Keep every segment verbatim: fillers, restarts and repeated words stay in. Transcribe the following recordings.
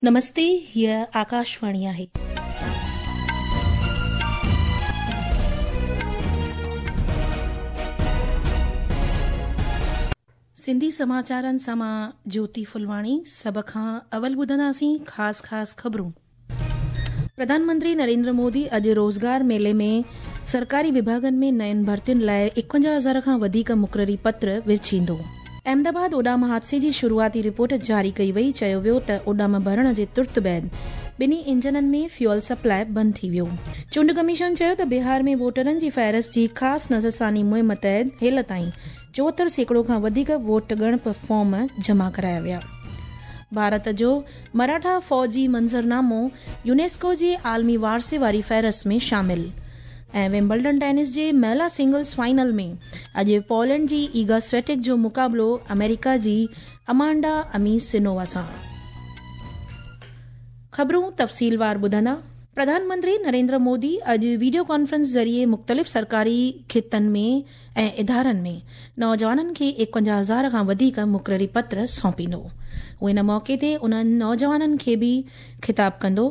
नमस्ते, हीअ आकाशवाणी आहे. सिंधी समाचारनि सां मां ज्योति फुलवाणी। सभ खां अवल ॿुधंदासीं ख़ासि ख़ासि ख़बरूं। प्रधानमंत्री नरेंद्र मोदी अॼु रोज़गार मेले में सरकारी विभागनि में नयुनि भर्तियुनि लाइ एकवंजाह हज़ार खां वधीक मुक़ररी पत्र विर्छींदो। अहमदाबाद उॾाम हादसे जी शुरूआती रिपोर्ट जारी कई वई। चयो वियो त उॾाम भरण जे तुर्त बाद ॿिन्ही इंजननि में फ्यूअल सप्लाई बंदि थी वियो। चूंड कमीशन चयो त बिहार में वोटरनि जी फ़हरिस्त जी ख़ासि नज़रसानी मुहिम तहत हेल ताईं चोहतरि सैकड़ो खां वधीक वोट ॻणप फॉर्म जमा कराया विया। भारत जो मराठा फ़ौजी मंज़रनामो यूनेस्को जे आलमी वारसे वारी फ़हरिस्त में शामिल। ऐं विम्बल्डन टेनिस जे महिला सिंगल्स फाइनल में अॼु पोलैंड जी ईगा स्वेटिक जो मुक़ाबिलो अमेरिका जी अमांडा अमीसिनोवा सां। ख़बरूं तफ़सीलवार ॿुधंदा। प्रधानमंत्री नरेंद्र मोदी अॼु वीडियो कॉन्फ्रेंस ज़रिए मुख़्तलिफ़ सरकारी खितनि में ऐं इदारनि में नौजवाननि खे एकवंजाह हज़ार खां वधीक मुक़ररी पत्र सौंपींदो। उहो इन मौक़े ते उन्हनि नौजवाननि खे बि ख़िताब कंदो।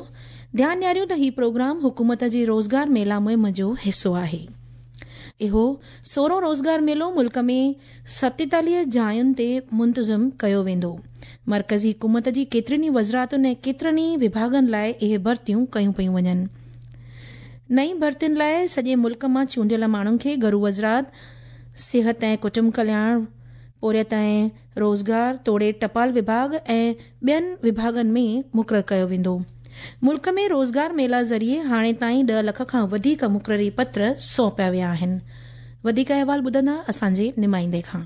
ध्यानु ॾियारियूं त हीउ प्रोग्राम हुकूमत जे रोज़गार मेला मुहिम जो हिसो आहे। इहो सोरहों रोज़गार मेलो मुल्क में सतेतालीह जायुनि ते मुंतज़िम कयो वेंदो। मर्कज़ी हुकूमत जी केतिरनि ई वज़ारतुनि ऐं केतिरनि ई विभागनि लाइ इहे भर्तियूं कयूं पयूं वञनि। नई भर्तियुनि लाइ सॼे मुल्क मां चूंडियल माण्हुनि खे घरू वज़ारत, सिहत ऐं कुटुंब कल्याण, पोरियत ऐं रोज़गार तोड़े टपाल विभाग ऐं ॿियनि विभागनि में मुक़ररु कयो वेंदो। मुल्क में रोज़गार मेला ज़रिए हाणे ताईं ॾह लख खां वधीक मुक़ररी पत्र सौंपिया विया आहिनि। वधीक अहवाल ॿुधंदा असांजे नुमाइंदे खां।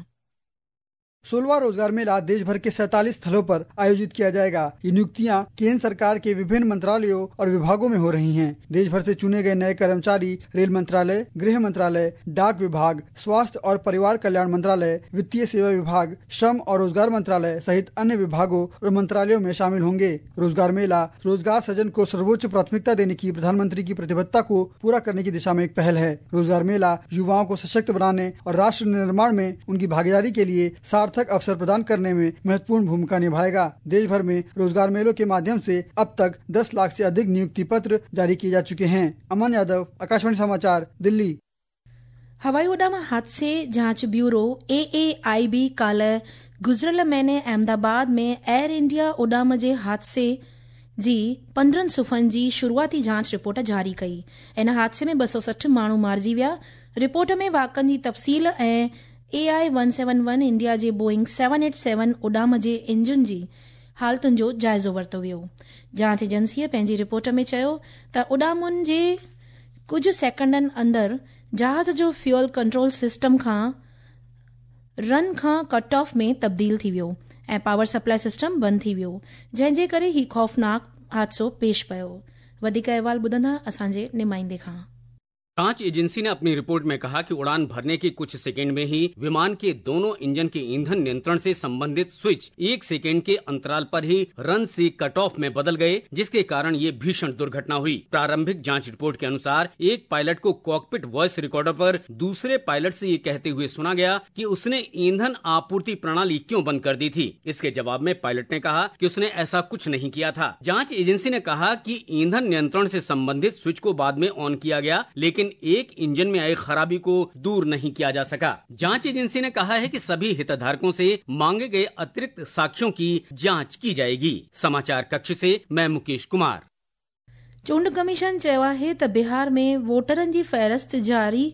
सोलवा रोजगार मेला देश भर के सैतालीस स्थलों पर आयोजित किया जाएगा। ये नियुक्तियां केंद्र सरकार के विभिन्न मंत्रालयों और विभागों में हो रही हैं। देश भर से चुने गए नए कर्मचारी रेल मंत्रालय, गृह मंत्रालय, डाक विभाग, स्वास्थ्य और परिवार कल्याण मंत्रालय, वित्तीय सेवा विभाग, श्रम और रोजगार मंत्रालय सहित अन्य विभागों और मंत्रालयों में शामिल होंगे। रोजगार मेला रोजगार सृजन को सर्वोच्च प्राथमिकता देने की प्रधानमंत्री की प्रतिबद्धता को पूरा करने की दिशा में एक पहल है। रोजगार मेला युवाओं को सशक्त बनाने और राष्ट्र निर्माण में उनकी भागीदारी के लिए सार्थक अवसर प्रदान करने में महत्वपूर्ण भूमिका निभाएगा। देश भर में रोजगार मेलों के माध्यम से अब तक दस लाख से अधिक नियुक्ति पत्र जारी किए जा चुके हैं। अमन यादव, आकाशवाणी समाचार, दिल्ली। हवाई उॾाम हादसे जांच bureau A A I B काल्ह गुज़िरियल महीने अहमदाबाद में एयर इंडिया उॾाम जे हादसे जी पंद्रहं सुफ़नि जी शुरूआती जांच रिपोर्ट जारी कई। इन हादसे में ॿ सौ सठि माण्हू मारिजी विया। रिपोर्ट में वाक़नि जी तफ़सील ऐं A I one seven one India J Boeing seven eight seven उॾाम J engine जी हालतुनि जो जाइज़ो वरितो वियो। जांच एजेंसीअ पंहिंजी रिपोर्ट में चयो त उॾामुनि जे कुझु सेकंडनि अंदरि जहाज़ जो फ्यूअल कंट्रोल सिस्टम खां रन खां कट ऑफ में तब्दील थी वियो ऐं पावर सप्लाई सिस्टम बंदि थी वियो, जंहिंजे करे हीउ ख़ौफ़नाक हादसो पेश पियो। वधीक अहवाल ॿुधंदा असांजे नुमाइंदे खां। जांच एजेंसी ने अपनी रिपोर्ट में कहा कि उड़ान भरने के कुछ सेकंड में ही विमान के दोनों इंजन के ईंधन नियंत्रण से संबंधित स्विच एक सेकंड के अंतराल पर ही रन से कट ऑफ में बदल गए, जिसके कारण ये भीषण दुर्घटना हुई। प्रारंभिक जांच रिपोर्ट के अनुसार एक पायलट को कॉकपिट वॉइस रिकॉर्डर पर दूसरे पायलट से ये कहते हुए सुना गया कि उसने ईंधन आपूर्ति प्रणाली क्यों बंद कर दी थी। इसके जवाब में पायलट ने कहा कि उसने ऐसा कुछ नहीं किया था। जाँच एजेंसी ने कहा कि ईंधन नियंत्रण से संबंधित स्विच को बाद में ऑन किया गया, लेकिन एक इंजन में आई खराबी को दूर नहीं किया जा सका। जांच एजेंसी ने कहा है कि सभी हितधारकों से मांगे गए अतिरिक्त साक्ष्यों की जांच की जाएगी। समाचार कक्ष से मैं मुकेश कुमार। चूंड कमीशन चयो आहे त बिहार में वोटरनि जी फ़हरिस्त जारी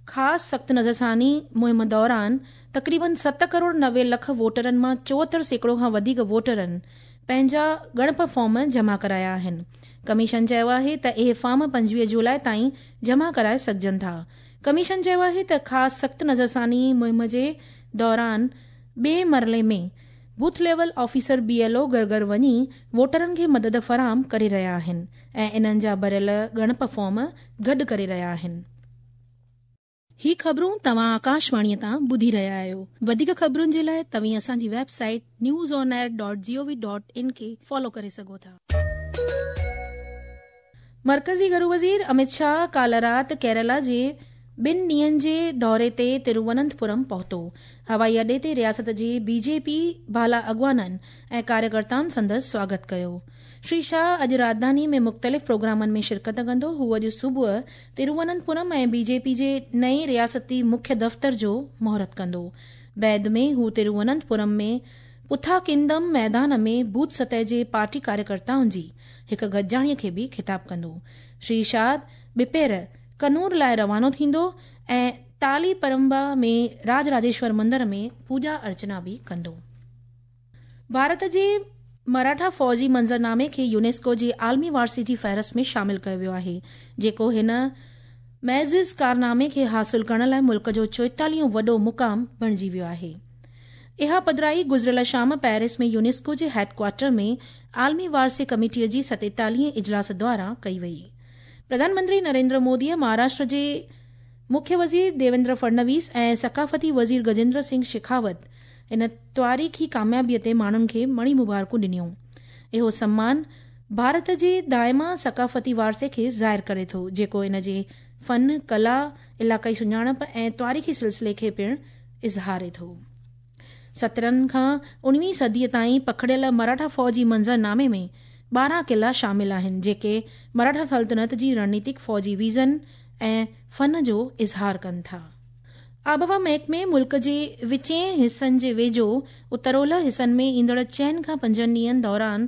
ख़ासि सख़्त नज़रसानी मुहिम दौरान तक़रीबन सत करोड़ नवे लख वोटरनि मां चोहतरि सैकड़ो खां वधीक वोटरनि पंहिंजा ॻणप फॉर्म जमा कराया आहिनि। कमीशन चयो आहे त इहे फॉर्म पंजवीह जुलाई ताईं जमा कराए सघजनि था। कमीशन चयो आहे त ख़ासि सख़्त नज़रसानी मुहिम जे दौरान ॿिए मरले में booth level officer B L O घर घर वञी वोटरनि खे मदद फराहम करे रहिया आहिनि ऐं इन्हनि जा भरियल ॻणप फॉर्म गॾु करे रहिया आहिनि। ही ख़बरूं तव्हां आकाशवाणीअ तां ॿुधी रहिया आहियो। वधीक ख़बरुनि जे लाइ तव्हीं असांजी website news on air dot G O V dot in खे फॉलो करे सघो था। मर्कज़ी घरू वज़ीर अमित शाह काल्ह राति केरला जे ٻن ڏينهن جي دوري تي ترووننتپورم پهتو. هوائي اڏي تي رياست جي بي جي پي بالا اڳواڻن ۽ ڪاريڪرتائن سندس سواگت ڪيو. شري شاهه اڄ راڄڌاني ۾ مختلف پروگرامن ۾ شرڪت ڪندو. هو اڄ صبح ترووننتپورم ۽ بي جي پي جي نئين رياستي مکيه دفتر جو مهورت ڪندو. بعد ۾ هو ترووننتپورم ۾ پٿاڪندم ميدان ۾ بوٿ سطح جي پارٽي ڪاريڪرتائن جي هڪ گڏجاڻي کي به خطاب ڪندو. شري شاهه ٻپهر ڪنور لاءِ روانو ٿيندو ۽ تالي پرمبا ۾ راج راجيشور مندر ۾ پوڄا ارچنا به ڪندو. ڀارت جي مراٺا فوجي منظرنامي کي يونيسڪو جي عالمي وارثي جي فهرست ۾ شامل ڪيو ويو آهي، جيڪو هن معزز ڪارنامي کي حاصل ڪرڻ لاءِ ملڪ جو چوئيتاليهون وڏو مقام بڻجي ويو آهي. اها پڌرائي گذريل شام پيرس ۾ يونيسڪو جي هيڊ ڪوارٽر ۾ عالمي وارثي ڪميٽيءَ جي ستيتاليهين اجلاس دوران ڪئي وئي. پرڌان منتري نريندر موديءَ مهاراشٽر جي مکيه وزير ديويندر فڊنويس ۽ ثقافتي وزير گجيندر سنگهه شيکاوت ان تاريخي ڪاميابيءَ تي ماڻهن کي مڻي مبارڪون ڏنيون. اهو سمان ڀارت جي دائما ثقافتي وارثي کي ظاهر ڪري ٿو، جيڪو ان جي فن، ڪلا، علائقائي سڃاڻپ ۽ تاريخي سلسلي کي پڻ اظهاري ٿو. سترهن کان اڻويهين صديءَ تائين پکڙيل مراٺا فوجي منظرنامي ۾ ٻارهن قلعا شامل آهن، جيڪي مراٺا سلطنت جي رڻنيتڪ، فوجي ويزن ۽ فن جو اظهار ڪن ٿا. آبهوا محڪمي ملڪ جي وچين حصن جي ويجهو اتر اولهه حصن ۾ ايندڙ چئن کان پنجن ڏينهن دوران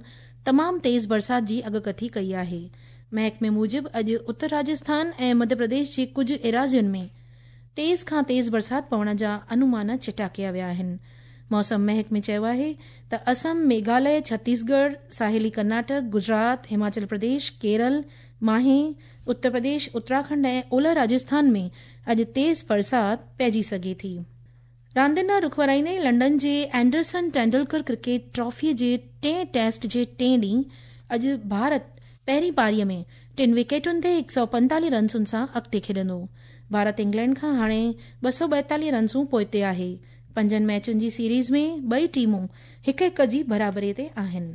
تمام تيز برسات جي اڳڪٿي ڪئي آهي. محڪمي موجب اڄ اتر راجسٿان ۽ مڌيه پرديش جي ڪجهه ايراضين ۾ تيز کان تيز برسات پوڻ جا انومان چٽا ڪيا ويا آهن. موسم محڪمي چيو آهي ته اسم، ميگهاليه، ڇتيسڳڙهه، ساحلي ڪرناٽڪ، گجرات، هماچل پرديش، ڪيرل، ماهي، اتر پرديش، اتراکنڊ ۽ اولهه راجسٿان ۾ اڄ تيز برسات پئجي سگهي ٿي. راندين ڏانهن رخ ورائيندي لنڊن جي اينڊرسن ٽينڊولڪر ڪرڪيٽ ٽرافيءَ جي ٽئين ٽيسٽ جي ٽئين ڏينهن اڄ ڀارت پهرين پاريءَ ۾ ٽن وڪيٽن تي هڪ سؤ پنتاليهه رنسن سان اڳتي کيڏندو. ڀارت انگلينڊ کان هاڻي ٻه سؤ ٻائيتاليهه رنسون پوئتي آهي. پنجن ميچن جي سيريز ۾ ٻئي ٽيمون هڪ هڪ جي برابري تي آهن.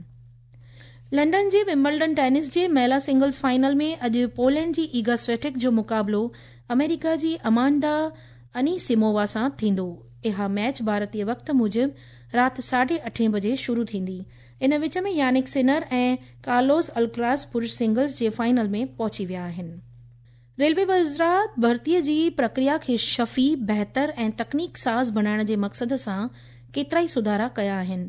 لنڊن جي ومبلڊن ٽينس جي مهلا سنگلز فائنل ۾ اڄ پولينڊ جي ايگا سويٽڪ جو مقابلو آمريڪا جي امانڊا انيسيمووا سان ٿيندو. اها ميچ ڀارتيه وقت موجب رات ساڍي اٺين بجي شروع ٿيندي. ان وچ ۾ يانڪ سنر ۽ ڪارلوس الڪراس پرش سنگلز جي فائنل ۾ پهچي ويا آهن. ريلوي وزارت ڀرتيءَ جي پرڪريا کي شفي، بهتر ۽ تڪنيڪ ساز بڻائڻ جي مقصد سان ڪيترائي سڌارا ڪيا آهن.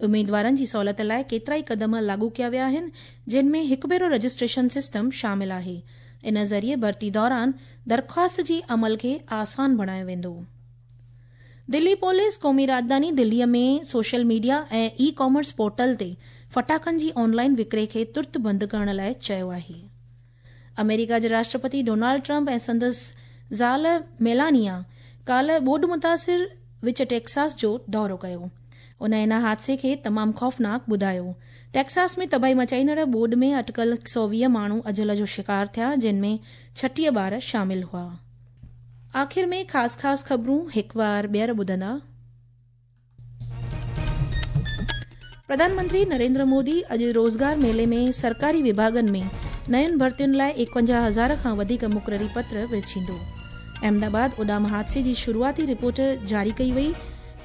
اميدوارن جي سهولت لاءِ ڪيترائي قدم لاڳو ڪيا ويا آهن، جن ۾ هڪ ڀيرو رجسٽريشن سسٽم شامل آهي. ان ذريعي ڀرتي دوران درخواست جي عمل کي آسان بڻايو ويندو. دلي پوليس قومي راڄڌاني دليءَ ۾ social media ۽ e commerce portal تي ڦٽاڪن جي آنلائن وڪري کي ترت بند ڪرڻ لاءِ چيو آهي. آمريڪا جي راشٽرپتي ڊونالڊ ٽرمپ ۽ سندس زال ميلانيا ڪالهه ٻوڏ متاثر وچ ٽيڪساس جو دورو ڪيو. ان ان حادثي کي تمام خوفناڪ ٻڌايو. ٽيڪساس ۾ تباهي مچائيندڙ ٻوڏ ۾ اٽڪل هڪ سؤ ويهه ماڻهو اجل جو شڪار ٿيا، جن ۾ ڇٽيهه ٻار شامل هئا. آخر ۾ خاص خاص خبرون هڪ بار ٻيهر ٻڌندا. پرڌان منتري نريندر مودي اڄ روزگار ميلي ۾ سرڪاري وڀاڳن ۾ نين ڀرتين لاءِ ايڪونجاهه هزار کان وڌيڪ مقرري پتر ورڇيندو. احمدآباد اڏام حادثي جي شروعاتي رپورٽ جاري ڪئي وئي.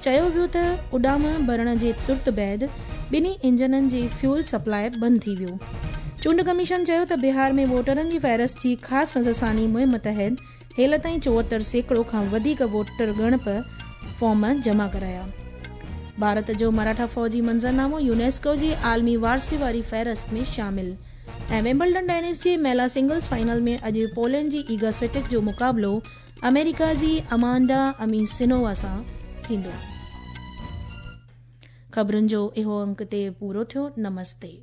چيو ويو ته اڏام ڀرڻ جي ترت بعد ٻنهي انجنن جي فيول سپلاءِ بند ٿي ويو. چونڊ ڪميشن چيو ته بهار ۾ ووٽرن جي فهرست جي خاص نظرثاني مهم تحت هيل تائين چوهتر سيڪڙو کان وڌيڪ ووٽر ڳڻپ فارم جمع ڪرايا. ڀارت جو مراٺا فوجي منظرنامو يونيسڪو جي عالمي وارثي واري فهرست ۾ شامل. ۽ ومبلڊن ٽينس جي مهلا سنگلز فائنل ۾ اڄ پولينڊ جي ايگا سويٽڪ جو مقابلو آمريڪا جي امانڊا انيسيمووا سان ٿيندو. خبرن جو اهو انڪ هتي پورو ٿيو. نمستي.